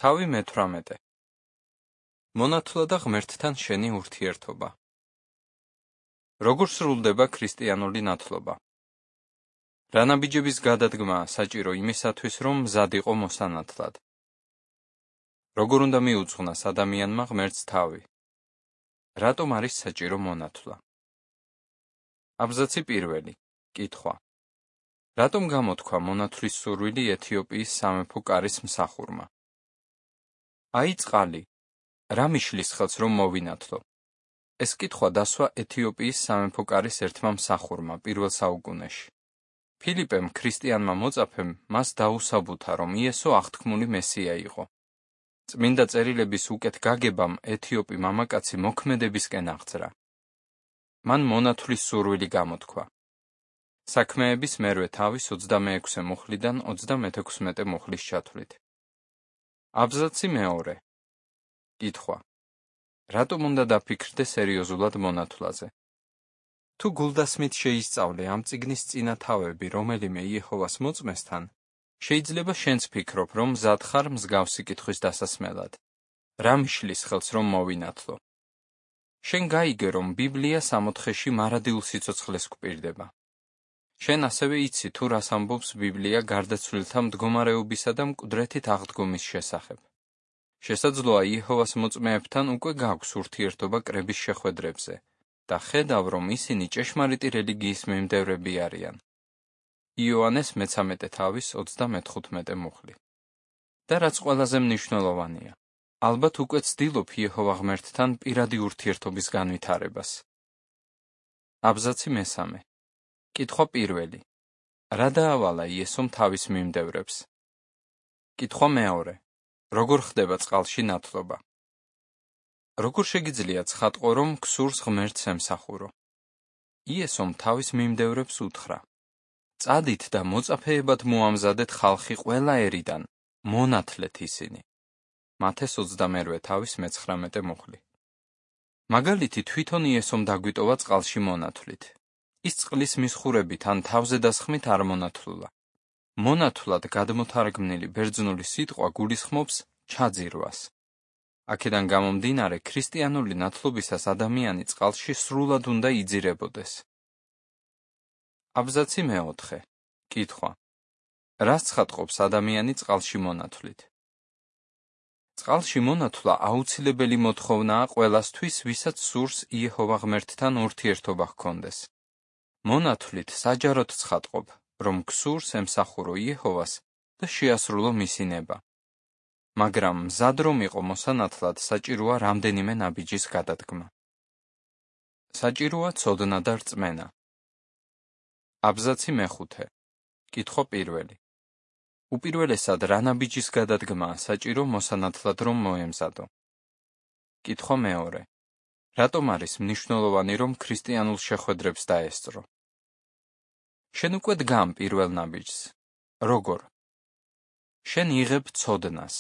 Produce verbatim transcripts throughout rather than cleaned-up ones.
თავი მეთვრამეტე. მონათლა და ღმერთთან შენი ურთიერთობა. როგორ სრულდება ქრისტიანული ნათლობა? რა ნაბიჯების გადადგმაა საჭირო იმისათვის, რომ მზად იყო მოსანათლად? როგორ უნდა მიუძღვნას ადამიანმა ღმერთს თავი? რატომ არის საჭირო მონათლა? აბზაცი პირველი. კითხვა. რატომ გამოთქვა მონათლის სურვილი ეთიოპიის სამეფო კარის მსახურმა? აი წყალი. რა მიშლის ხელს, რომ მოვინათლო? ეს კითხვა დასვა ეთიოპიის სამეფო კარის ერთმა მსახურმა პირველ საუკუნეში. ფილიპემ ქრისტიანმა მოწაფემ მას დაუსაბუთა, რომ იესო აღთქმული მესია იყო. წმინდა წერილების უკეთ გაგებამ ეთიოპი მამაკაცი მოქმედებისკენ აღძრა. მან მონათლის სურვილი გამოთქვა. საქმეების მერვე თავის ოცდამეექვსე მუხლიდან ოცდამეთექვსმეტე მუხლის ჩათვლით. აბზაცი მეორე. კითხვა. რატომ უნდა დაფიქრდე სერიოზულად მონათლაზე? თუ გულდასმით შეისწავლე ამ წიგნის წინა თავები რომელიმე იეჰოვას მოწმესთან, შეიძლება შენც ფიქრობ, რომ მზად ხარ მსგავსი კითხვის დასასმელად. რა მიშლის ხელს, რომ მოვინათლო? შენ გაიგე, რომ ბიბლია სამოთხეში მარადილ სიცოცხლეს გვპირდება. შენ ასევე იცი, თუ რას ამბობს ბიბლია გარდაცვლილთა მდგომარეობისა და მკვდრეთით აღდგომის შესახებ. შესაძლოა იეჰოვას მოწმეებთან უკვე გაქვს ურთიერთობა კრების შეხვედრებზე და ხედავ, რომ ისინი ჭეშმარიტი რელიგიის მიმდევრები არიან. იოანეს მეცამეტე თავის ოცდამეთხუთმეტე მუხლი. და რაც ყველაზე მნიშვნელოვანია, ალბათ უკვე ცდილობ იეჰოვა ღმერთთან პირადი ურთიერთობის განვითარებას. აბზაცი მესამე. კითხვა პირველი. რა დაავალა იესომ თავის მიმდევრებს? კითხვა მეორე. როგორ ხდება წყალში ნათლობა? როგორ შეგიძლია ცხადყო, რომ ქსურს ღმერთს ემსახურო? იესომ თავის მიმდევრებს უთხრა. წადით და მოწაფეებად მოამზადეთ ხალხი ყველა ერიდან, მონათლეთ ისინი. მათეს ოცდამერვე თავის მეცხრამეტე მუხლი. მაგალითი თვითონ იესომ დაგვიტოვა წყალში მონათლით. ის წყლის მისხურებით ან თავზე დასხმით არ მონათლულა. მონათლად გადმოთარგმნილი ბერძნული სიტყვა გულისხმობს ჩაძირვას. აქედან გამომდინარე, ქრისტიანული ნათლობისას ადამიანი წყალში სრულად უნდა იძირებოდეს. აბზაცი მეოთხე. კითხვა. რას ცხადყოფს ადამიანი წყალში მონათლით? წყალში მონათლა აუცილებელი მოთხოვნაა ყველასთვის, ვისაც სურს იეჰოვა ღმერთთან ურთიერთობა ჰქონდეს. მონათლით საჯაროდ ცხადყოფ, რომ ქსურს ემსახურო იეჰოვას და შეასრულო მისი ნება. მაგრამ მზად რომ იყო მოსანათლად, საჭიროა რამდენიმე ნაბიჯის გადადგმა. საჭიროა ცოდნა და რწმენა. აბზაცი მეხუთე. კითხვა პირველი. უპირველესად რა ნაბიჯის გადადგმაა საჭირო მოსანათლად რომ მოემზადო? კითხვა მეორე. რატომ არის მნიშვნელოვანი, რომ ქრისტიანულ შეხვედრებს დაესწრო? შენ უკვე დგამ პირველ ნაბიჯს. როგორ? შენ იღებ ცოდნას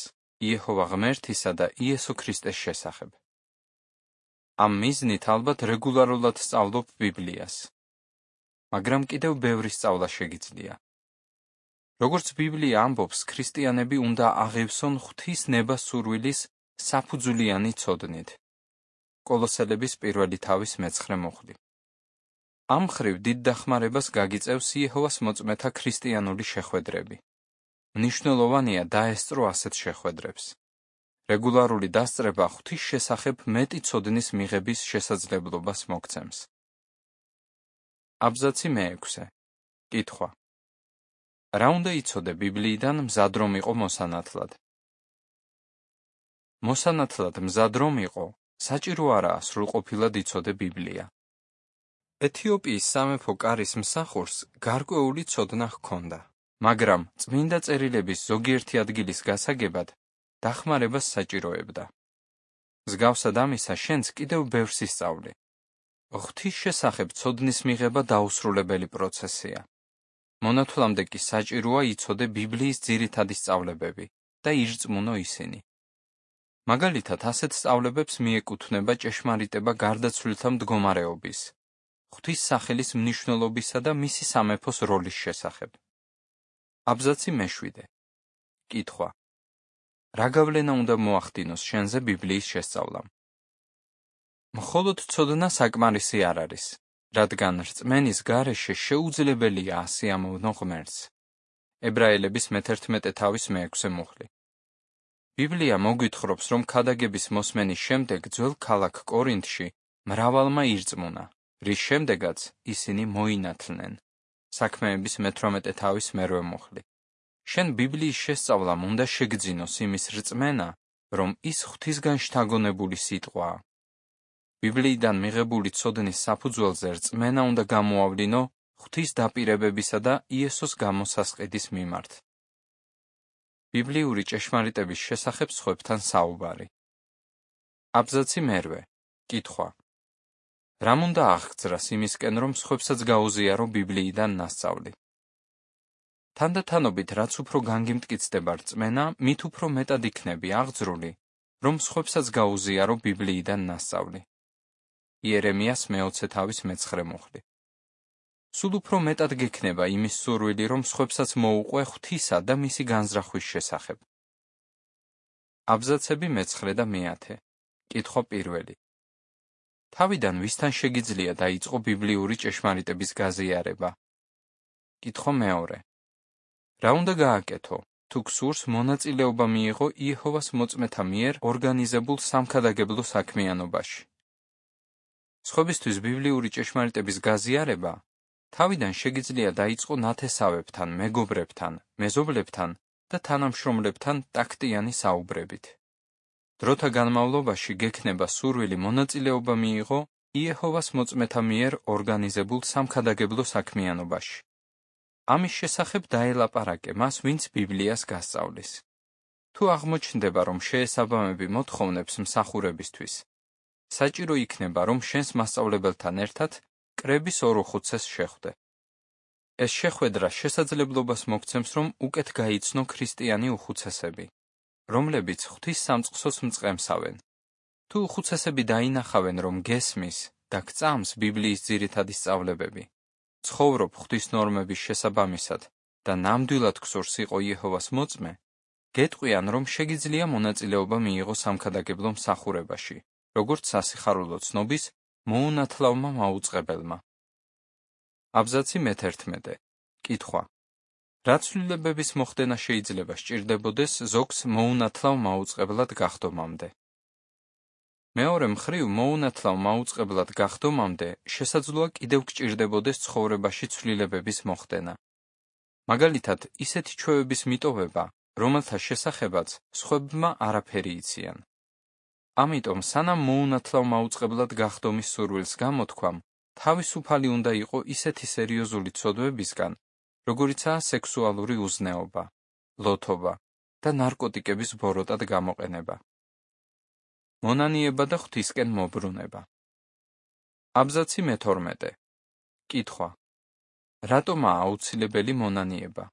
იეჰოვა ღმერთისა და იესო ქრისტეს შესახებ. ამ მიზნით ალბათ რეგულარულად სწავლობ ბიბლიას. მაგრამ კიდევ ბევრი სწავლა შეგიძლია. როგორც ბიბლია ამბობს, ქრისტიანები უნდა აღევსონ ღვთის ნება სურვილის საფუძვლიანი ცოდნით. კოლოსელების პირველი თავის მეცხრე მუხლი. ამ მხრივ დიდ დახმარებას გაგიწევს იეჰოვას მოწმეთა ქრისტიანული შეხვედრები. მნიშვნელოვანია დაესწრო ასეთ შეხვედრებს. რეგულარული დასწრება ღვთის შესახებ მეტი ცოდნის მიღების შესაძლებლობას მოგცემს. აბზაცი მეექვსე. კითხვა. რა უნდა იცოდე ბიბლიიდან მზად რომ იყო მოსანათლად? მოსანათლად მზად რომ იყო, საჭირო არაა სრულყოფილად იცოდე ბიბლია. ეთიოპიის სამეფო კარის მსახურს გარკვეული ცოდნა ჰქონდა, მაგრამ წმინდა წერილების ზოგიერთი ადგილის გასაგებად დახმარებას საჭიროებდა. მსგავსად ამისა, შენც კიდევ ბევრს ისწავლე. ღვთის შესახებ ცოდნის მიღება დაუსრულებელი პროცესია. მონათლამდე კი საჭიროა იცოდე ბიბლიის ძირითადი სწავლებები და ირწმუნო ისინი. მაგალითად, ასეთ სწავლებებს მიეკუთვნება ჭეშმარიტება გარდაცვლილთა მდგომარეობის, ღვთის სახელის მნიშვნელობისა და მისი სამეფოს როლის შესახებ. აბზაცი მეშვიდე. კითხვა. რა გავლენა უნდა მოახდინოს შენზე ბიბლიის შესწავლამ? მხოლოდ ცოდნა საკმარისი არ არის, რადგან რწმენის გარეშე შეუძლებელია ასე ამოვნო ღმერთს. ებრაელების მეთერთმეტე თავის მეექვსე მუხლი. ბიბლია მოგვითხრობს, რომ ქადაგების მოსმენის შემდეგ ძველ ქალაქ კორინთში მრავალმა ირწმუნა, რის შემდეგაც ისინი მოინათლნენ. საქმეების მეთვრამეტე თავის მერვე მუხლი. შენ ბიბლიის შესწავლამ უნდა შეგძინოს იმის რწმენა, რომ ის ღვთისგან შთაგონებული სიტყვაა. ბიბლიიდან მიღებული ცოდნის საფუძველზე რწმენა უნდა გამოავლინო ღვთის დაპირებებისა და იესოს გამოსასყიდის მიმართ. ბიბლიური ჭეშმარიტების შესახებ სხვებთან საუბარი. აბზაცი მერვე. კითხვა. რამ უნდა აღგზრას იმისკენ, რომ სხვებსაც გაუზიარო ბიბლიიდან ნასწავლი? თანდათანობით, რაც უფრო განგიმტკიცდება რწმენა, მით უფრო მეტად იქნები აღძრული, რომ სხვებსაც გაუზიარო ბიბლიიდან ნასწავლი. იერემიას მეოცე თავის მეცხრე მუხლი. სულ უფრო მეტად გექნება იმის სურვილი, რომ სხვებსაც მოუყვე ღვთისა და მისი განზრახვის შესახებ. აბზაცები მეცხრე და მეათე. კითხვა პირველი. თავიდან ვისთან შეგიძლია დაიწყო ბიბლიური ჭეშმარიტების გაზიარება? კითხვა მეორე. რა უნდა გააკეთო, თუ გსურს მონაწილეობა მიიღო იეჰოვას მოწმეთა მიერ ორგანიზებულ სამქადაგებლო საქმიანობაში? სხვებისთვის ბიბლიური ჭეშმარიტების გაზიარება თავიდან შეგიძლია დაიწყო ნათესავებთან, მეგობრებთან, მეზობლებთან და თანამშრომლებთან ტაქტიანი საუბრებით. დროთა განმავლობაში გექნება სურვილი მონაწილეობა მიიღო იეჰოვას მოწმეთა მიერ ორგანიზებულ სამქადაგებლო საქმიანობაში. ამის შესახებ დაელაპარაკე მას, ვინც ბიბლიას გასწავლის. თუ აღმოჩნდება, რომ შეესაბამები მოთხოვნებს მსახურებისთვის, საჭირო იქნება, რომ შენს მასწავლებელთან ერთად კრების ორ უხუცესს შეხვდე. ეს შეხვედრა შესაძლებლობას მოგცემს, რომ უკეთ გაიცნო ქრისტიანი უხუცესები, რომლებიც ღვთის სამწყსოს მწყემსავენ. თუ უხუცესები დაინახავენ, რომ გესმის და გწამს ბიბლიის ძირითადი სწავლებები, ცხოვრობ ღვთის ნორმების შესაბამისად და ნამდვილად გსურს იყო იეჰოვას მოწმე, გეტყვიან, რომ შეგიძლია მონაწილეობა მიიღო სამქადაგებლო მსახურებაში, როგორც სასიხარულო ცნობის მოუნათლავმა მაუწყებელმა. აბზაცი მეთერთმეტე. კითხვა. რა ცვლილებების მოხდენა შეიძლება სჭირდებოდეს ზოგს მოუნათლავ მაუწყებლად გახდომამდე? მეორე მხრივ, მოუნათლავ მაუწყებლად გახდომამდე შესაძლოა კიდევ გჭირდებოდეს ცხოვრებაში ცვლილებების მოხდენა. მაგალითად, ისეთი ჩვევების მიტოვება, რომელთა შესახებაც სხვებმა არაფერი იციან. ამიტომ, სანამ მოუნათლავ მაუწყებლად გახდომის სურვილს გამოთქვამ, თავისუფალი უნდა იყო ისეთი სერიოზული ცოდვებისგან, როგორიცაა სექსუალური უზნეობა, ლოთობა და ნარკოტიკების ბოროტად გამოყენება. მონანიება და ღვთისკენ მობრუნება. აბზაცი მეთორმეტე. კითხვა. რატომაა აუცილებელი მონანიება?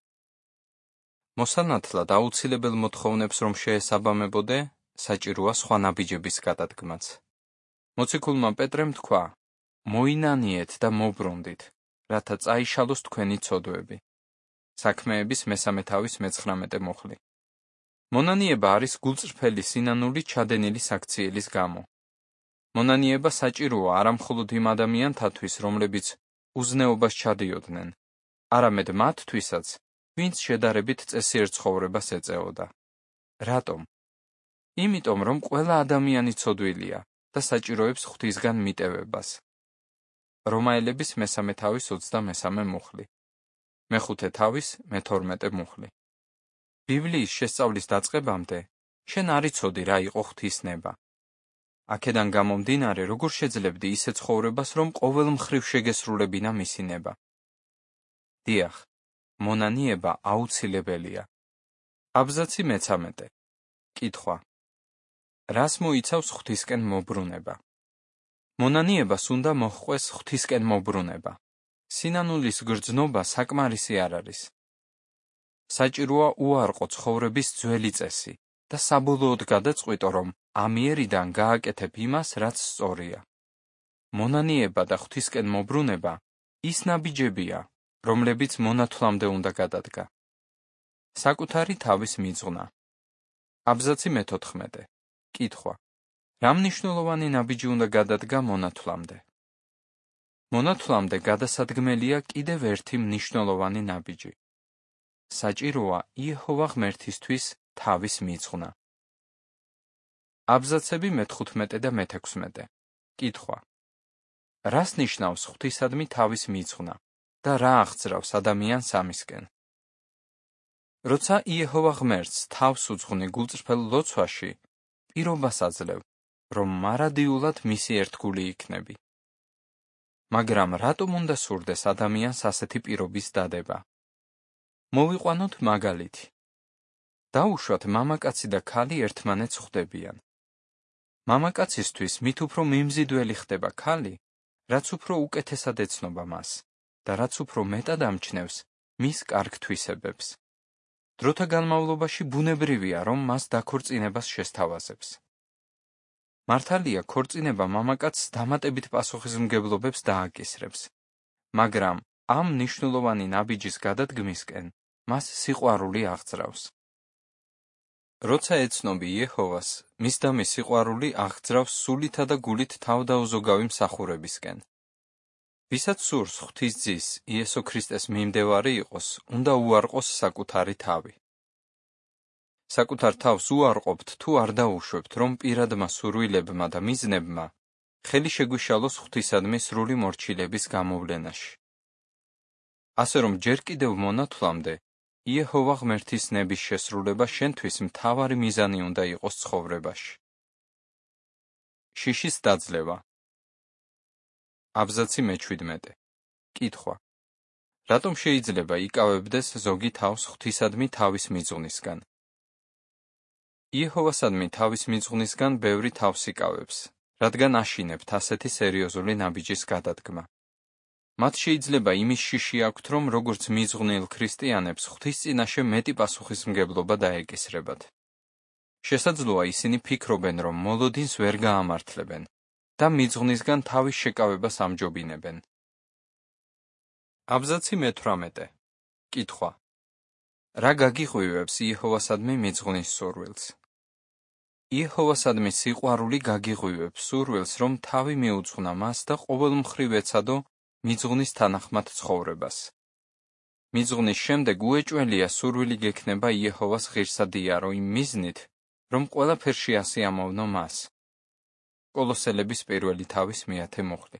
მოსანათლად აუცილებელ მოთხოვნებს რომ შეესაბამებოდე, საჭიროა სხვა ნაბიჯების გადადგმაც. მოციქულმა პეტრემ თქვა, მოინანიეთ და მობრუნდით, რათა წაიშალოს თქვენი ცოდვები. საქმეების მესამე თავის მეცხრამეტე მუხლი. მონანიება არის გულწრფელი სინანული ჩადენილი საქციელის გამო. მონანიება საჭიროა არამხოლოდ იმ ადამიანთათვის, რომლებიც უზნეობას ჩადიოდნენ, არამედ მათთვისაც, ვინც შედარებით წესიერ ცხოვრებას ეწეოდა. რატომ? იმიტომ, რომ ყველა ადამიანი ცოდვილია და საჭიროებს ღვთისგან მიტევებას. რომაელების მესამე თავის ოცდამესამე მუხლი. მეხუთე თავის მეთორმეტე მუხლი. ბიბლიის შესწავლის დაწყებამდე შენ არ იცოდი რა იყო ღვთისნება. აქედან გამომდინარე, როგორ შეძლებდი ისე ცხოვრებას, რომ ყოველ მხრივ შეგესრულებინა მისი ნება. დიახ, მონანიება აუცილებელია. აბზაცი მეცამეტე. კითხვა. რას მოიცავს ღვთისკენ მობრუნება? მონანიებას უნდა მოჰყვეს ღვთისკენ მობრუნება. სინანულის გრძნობა საკმარისი არ არის. საჭიროა უარყო ცხოვრების ძველი წესი და საბოლოოდ გადაწყვიტო, რომ ამიერიდან გააკეთებ იმას, რაც სწორია. მონანიება და ღვთისკენ მობრუნება ის ნაბიჯებია, რომლებიც მონათლამდე უნდა გადადგა. საკუთარი თავის მიძღვნა. აბზაცი მეთოთხმეტე. კითხვა. რა მნიშვნელოვანი ნაბიჯი უნდა გადადგა მონათვლამდე? მონათვლამდე გადასადგმელია კიდევ ერთი მნიშვნელოვანი ნაბიჯი. საჭიროა იეჰოვა ღმერთისთვის თავის მიძღვნა. აბზაცები მეთხუთმეტე და მეთექვსმეტე. კითხვა. რას ნიშნავს ღვთისადმი თავის მიძღვნა და რა აღძრავს ადამიანს ამისკენ? როცა იეჰოვა ღმერთს თავს უძღვნი გულწრფელ ლოცვაში, პირობას აძლევ, რომ მარადიულად მისი ერთგული იქნები. მაგრამ რატომ უნდა სურდეს ადამიანს ასეთი პირობის დადება? მოვიყვანოთ მაგალითი. დაუშვათ მამაკაცი და ქალი ერთმანეთს ხვდებიან. მამაკაცისთვის მით უფრო მიმზიდველი ხდება ქალი, რაც უფრო უკეთესად ეცნობა მას და რაც უფრო მეტად ამჩნევს მის კარგ თვისებებს. დროთა განმავლობაში ბუნებრივია, რომ მას დაქორწინებას შესთავაზებს. მართალია, ქორწინება მამაკაცს დამატებით პასუხისმგებლობებს დააკისრებს, მაგრამ ამ მნიშვნელოვანი ნაბიჯის გადადგმისკენ მას სიყვარული აღძრავს. როცა ეცნობი იეჰოვას, მის და მის სიყვარული აღძრავს სულითა და გულით თავდაუზოგავი მსახურებისკენ. ვისაც სურს ღვთის ძის, იესო ქრისტეს მიმდევარი იყოს, უნდა უარყოს საკუთარი თავი. საკუთარ თავს უარყოფთ თუ არ დაუშვებთ, რომ პირადმა სურვილებმა და მიზნებმა ხელი შეგვიშალოს ღვთისადმი სრული მორჩილების გამოვლენაში. ასე რომ ჯერ კიდევ მონათვლამდე იეჰოვა ღმერთის ნების შესრულება შენთვის მთავარი მიზანი უნდა იყოს ცხოვრებაში. შიშის დაძლევა. აბზაცი მეჩვიდმეტე. კითხვა. რატომ შეიძლება იკავებდეს ზოგი თავს ღვთისადმი თავის მიძღვნისგან? იეჰოვასადმი თავის მიძღვნისგან ბევრი თავს იკავებს, რადგან აშინებთ ასეთი სერიოზული ნაბიჯის გადადგმა. მათ შეიძლება იმის შიში აქვთ, რომ როგორც მიძღვნილ ქრისტიანებს ღვთის წინაშე მეტი პასუხისმგებლობა დაეკისრებათ. შესაძლოა ისინი ფიქრობენ, რომ მოლოდინს ვერ გაამართლებენ და მიძღვნისგან თავის შეკავებას ამჯობინებენ. აბზაცი მეთვრამეტე. კითხვა. რა გაგიღვივებს იეჰოვასადმი მიძღვნის სურვილს? იეჰოვასადმი სიყვარული გაგიღვივებს სურვილს, რომ თავი მიუძღვნა მას და ყოველ მხრივ ეცადო მიძღვნის თანახმად ცხოვრებას. მიძღვნის შემდეგ უეჭველია სურვილი გექნება იეჰოვას ღირსად იარო იმ მიზნით, რომ ყველაფერში ასიამოვნო მას. კოლოსელების პირველი თავის მეათე მუხლი.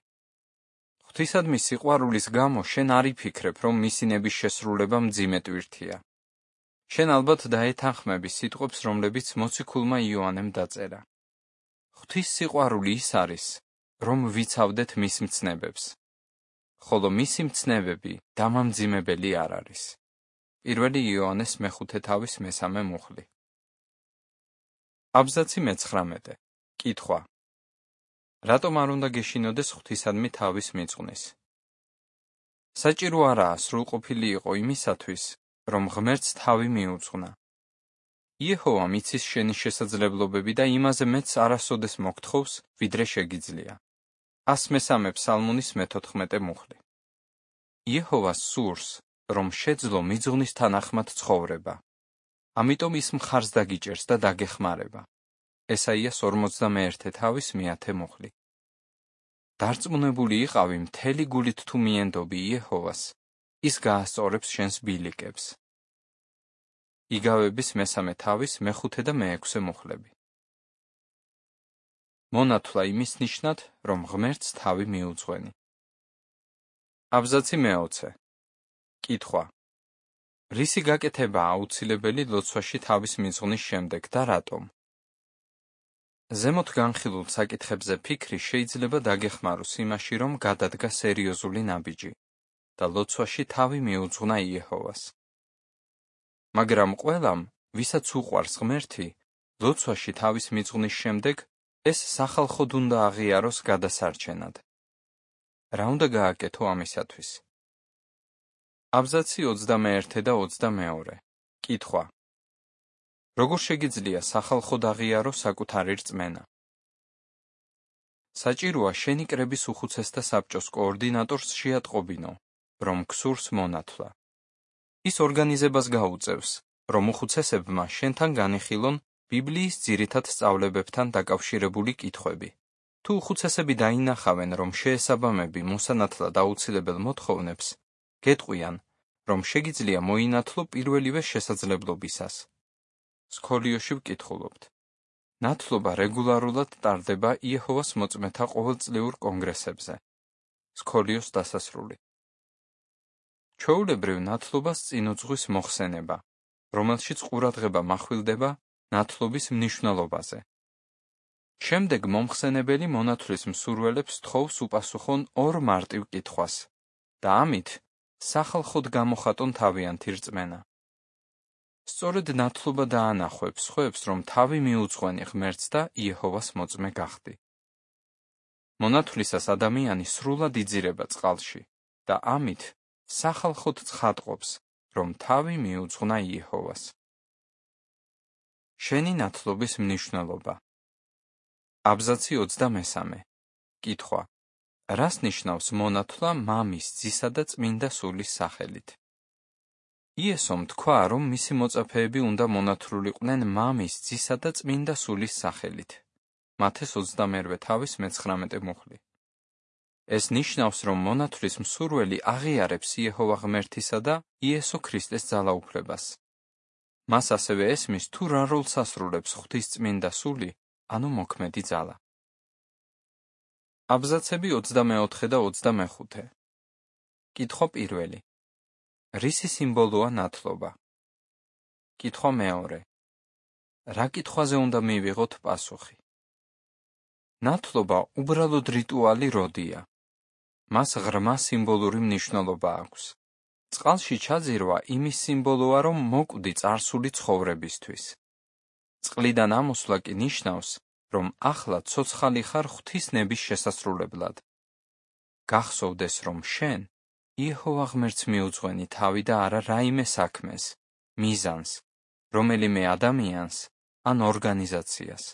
ღვთისადმი სიყვარულის გამო შენ არ იფიქრებ, რომ მისი ნების შესრულება მძიმე ტვირთია. შენ ალბათ დაეთანხმები სიტყვებს, რომლებიც მოციქულმა იოანემ დაწერა. ღვთის სიყვარული ის არის, რომ ვიცავდეთ მის მცნებებს. ხოლო მისი მცნებები დამამძიმებელი არ არის. პირველი იოანეს მეხუთე თავის მესამე მუხლი. აბზაცი მეცხრამეტე. კითხვა. რატომ არ უნდა გეშინოდეს ღვთისადმი თავის მიძღვნის? საჭირო არაა სრულყოფილი იყო იმისათვის, რომ ღმერთს თავი მიუძღვნა. იეჰოვა მიცის შენი შესაძლებლობები და იმაზე მეც არასოდეს მოგთხოვს, ვიდრე შეგიძლია. ას მესამე ფსალმუნის მეთოთხმეტე მუხლი. იეჰოვას სურს, რომ შეძლო მიძღვნის თანახმად ცხოვრება. ამიტომ ის მხარს დაგიჭერს და დაგეხმარება. ესაიას ორმოცდამეერთე თავის მეათე მუხლი. დარწმუნებული იყავი მთელი გულით თუ მიენდობი იეჰოვას, ის გაასწორებს შენს ბილიკებს. იგავების მესამე თავის მეხუთე და მეექვსე მუხლები. მონათვლა იმის ნიშნად, რომ ღმერთს თავი მიუძღვენი. აბზაცი მეოცე. კითხვა. რისი გაკეთება აუცილებელი ლოცვაში თავის მიძღვნის შემდეგ და რატომ? ზემოთ განხილულ საკითხებზე ფიქრი შეიძლება დაგეხმაროს იმაში, რომ გადადგა სერიოზული ნაბიჯი და ლოცვაში თავი მიუძღვნა იეჰოვას. მაგრამ ყველამ, ვისაც უყვარს ღმერთი, ლოცვაში თავის მიძღვნის შემდეგ ეს სახალხოდ უნდა აღიაროს გადასარჩენად. რა უნდა გააკეთო ამისათვის? აბზაცი ოცდამეერთე და ოცდამეორე. კითხვა. როგორ შეგიძლია სახალხოდ აღიარო საკუთარი რწმენა? საჭიროა შენი კრების უხუცესთა საბჭოს კოორდინატორს შეატყობინო, რომ გსურს მონათვლა. ის ორგანიზებას გაუწევს, რომ უხუცესებმა შენთან განიხილონ ბიბლიის ძირითად სწავლებებთან დაკავშირებული კითხვები. თუ უხუცესები დაინახავენ, რომ შეესაბამები მოსანათლად აუცილებელ მოთხოვნებს, გეტყვიან, რომ შეგიძლია მოინათლო პირველივე შესაძლებლობისას. სქოლიოში ვკითხულობთ. ნათლობა რეგულარულად ტარდება იეჰოვას მოწმეთა ყოველწლიურ კონგრესებზე. სქოლიოს დასასრული. ჩვეულებრივ ნათლობას წინ უძღვის მოხსენება, რომელშიც ყურადღება מחვილდება ნათლობის მნიშვნელობაზე. შემდეგ მომხსენებელი მონათლის მსურველებს თხოვს უპასუხონ ორ მარტივ კითხვას და ამით სახალხოდ გამოხატონ თავიანთი რწმენა. სწორედ ნათლობა დაანახვებს სხვებს, რომ თავი მიუძღვენი ღმერთს და იეჰოვას მოწმე გახდი. მონათლისას ადამიანი სრულად იძირება წყალში და ამით სახალხოდ ცხადყოფს, რომ თავი მიუძღვნა იეჰოვას. შენი ნათლობის მნიშვნელობა. აბზაცი ოცდამესამე. კითხვა. რას ნიშნავს მონათლა მამის, ძისა და წმინდა სულის სახელით? იესომ თქვა, რომ მისი მოწაფეები უნდა მონათლულიყვნენ მამის, ძისა და წმინდა სულის სახელით. მათეს ოცდამერვე თავის მეცხრამეტე მუხლი. ეს ნიშნავს, რომ მონათლის მსურველი აღიარებს იეჰოვა ღმერთისა და იესო ქრისტეს ძალაუფლებას. მას ასევე ესმის, თუ რა როლს ასრულებს ღვთისწმინდა სული, ანუ მოქმედი ძალა. აბზაცები ოცდამეოთხე და ოცდამეხუთე. კითხვა პირველი. რისი სიმბოლოა ნათლობა? კითხვა მეორე. რა კითხვაზე უნდა მივიღოთ პასუხი? ნათლობა უბრალოდ რიტუალი როდია. მას ღრმა სიმბოლური მნიშვნელობა აქვს. წყალში ჩაძირვა იმის სიმბოლოა, რომ მოკვდი წარსული ცხოვრებისთვის. წყლიდან ამოსვლა კი ნიშნავს, რომ ახლა ცოცხალი ხარ ღვთის ნების შესასრულებლად. გახსოვდეს, რომ შენ იეჰოვა ღმერთს მიუძღვენი თავი და არა რაიმე საქმეს, მიზანს, რომელიმე ადამიანს ან ორგანიზაციას.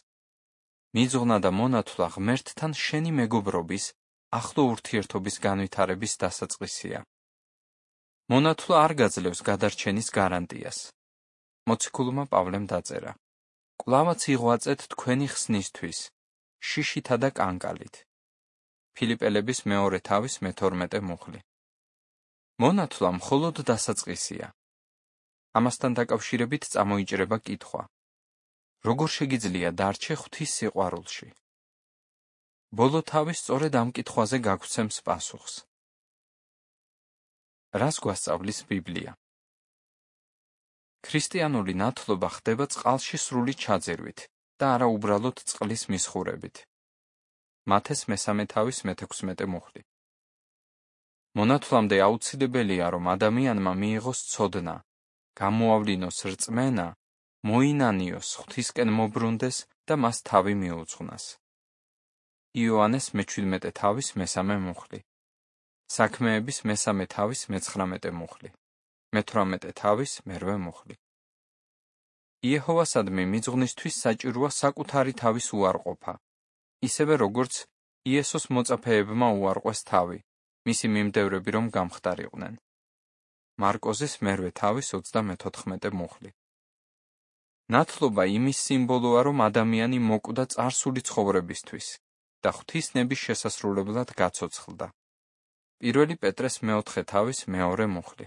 მიძღვნა და მონათლა ღმერთთან შენი მეგობრობის, ახლო ურთიერთობის განვითარების დასაწყისია. მონათლა არ გაძლევს გადარჩენის გარანტიას. მოციქულმა პავლემ დაწერა. კვლავაც იღვაწეთ თქვენი ხსნისთვის, შიშითა და კანკალით. ფილიპელების მეორე თავის მეთორმეტე მუხლი. მონათლა მხოლოდ დასაწყისია. ამასთან დაკავშირებით წამოიჭრება კითხვა. როგორ შეგიძლია დარჩე ღვთის სიყვარულში? ბოლო თავი სწორედ ამ კითხვაზე გაგვცემს პასუხს. რას გვასწავლის ბიბლია? ქრისტიანული ნათლობა ხდება წყალში სრული ჩაძირვით და არა უბრალოდ წყლის მისხურებით. მათეს მესამე თავის მეთექვსმეტე მუხლი. მონათლამდე აუცილებელია, რომ ადამიანმა მიიღოს ცოდნა, გამოავლინოს რწმენა, მოინანიოს, ღვთისკენ მობრუნდეს და მას თავი მიუძღვნას. იოანეს მეჩვიდმეტე თავის მესამე მუხლი. საქმეების მესამე თავის მეცხრამეტე მუხლი. მეთვრამეტე თავის მერვე მუხლი. იეჰოვასადმი მიძღვნისთვის საჭიროა საკუთარი თავის უარყოფა, ისევე როგორც იესოს მოწაფეებმა უარყვეს თავი, მისი მიმდევრები რომ გამხდარიყვნენ. მარკოზის მერვე თავის ოცდამეთოთხმეტე მუხლი. ნათლობა იმის სიმბოლოა, რომ ადამიანი მოკვდა წარსული ცხოვრებისთვის და ღვთის ნების შესასრულებლად გაცოცხლდა. პირველი პეტრეს მეოთხე თავის მეორე მუხლი.